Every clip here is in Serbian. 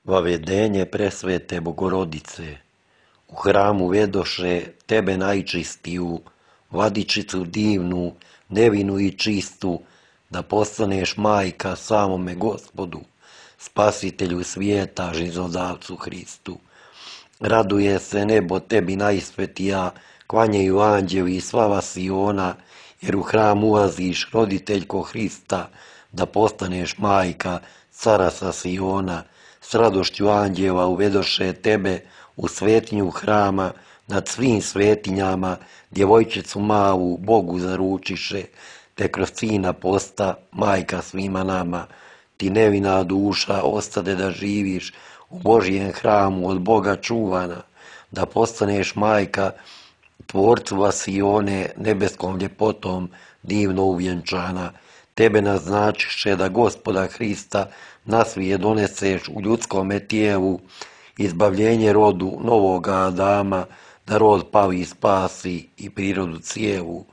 Vavedenje presvete Bogorodice. U hramu vedoše tebe najčistiju, vladičicu divnu, nevinu i čistu, da postaneš majka samome Gospodu, spasitelju svijeta, živodavcu Hristu. Raduje se nebo tebi najsvetija, klanjaju anđeli i slava Siona, jer u hram ulaziš, roditeljko Hrista, da postaneš majka cara sa Siona. S radošću anđela uvedoše tebe u svetinju hrama, nad svim svetinjama, djevojčicu malu Bogu zaručiše, te kroz sina posta majka svima nama. Ti nevina duša ostade da živiš u Božijem hramu od Boga čuvana, da postaneš majka tvorcu Vasione, nebeskom ljepotom divno uvjenčana. Tebe naznačiše da Gospoda Hrista na svijet doneseš u ljudskome tijelu, izbavljenje rodu novoga Adama, da rod pali spasi i prirodu cijelu.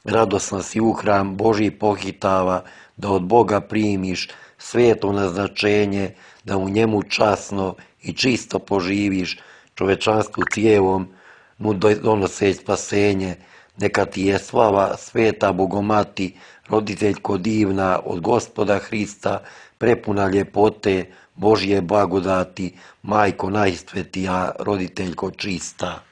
Radosna si u hram Božji pohitava, da od Boga primiš sveto naznačenje, da u njemu časno i čisto poživiš, čovečanstvu cijelom mu donoseć spasenje. Neka ti je slava sveta Bogomati, roditeljko divna od Gospoda Hrista, prepuna ljepote, Božje blagodati, majko najsvetija, roditeljko čista.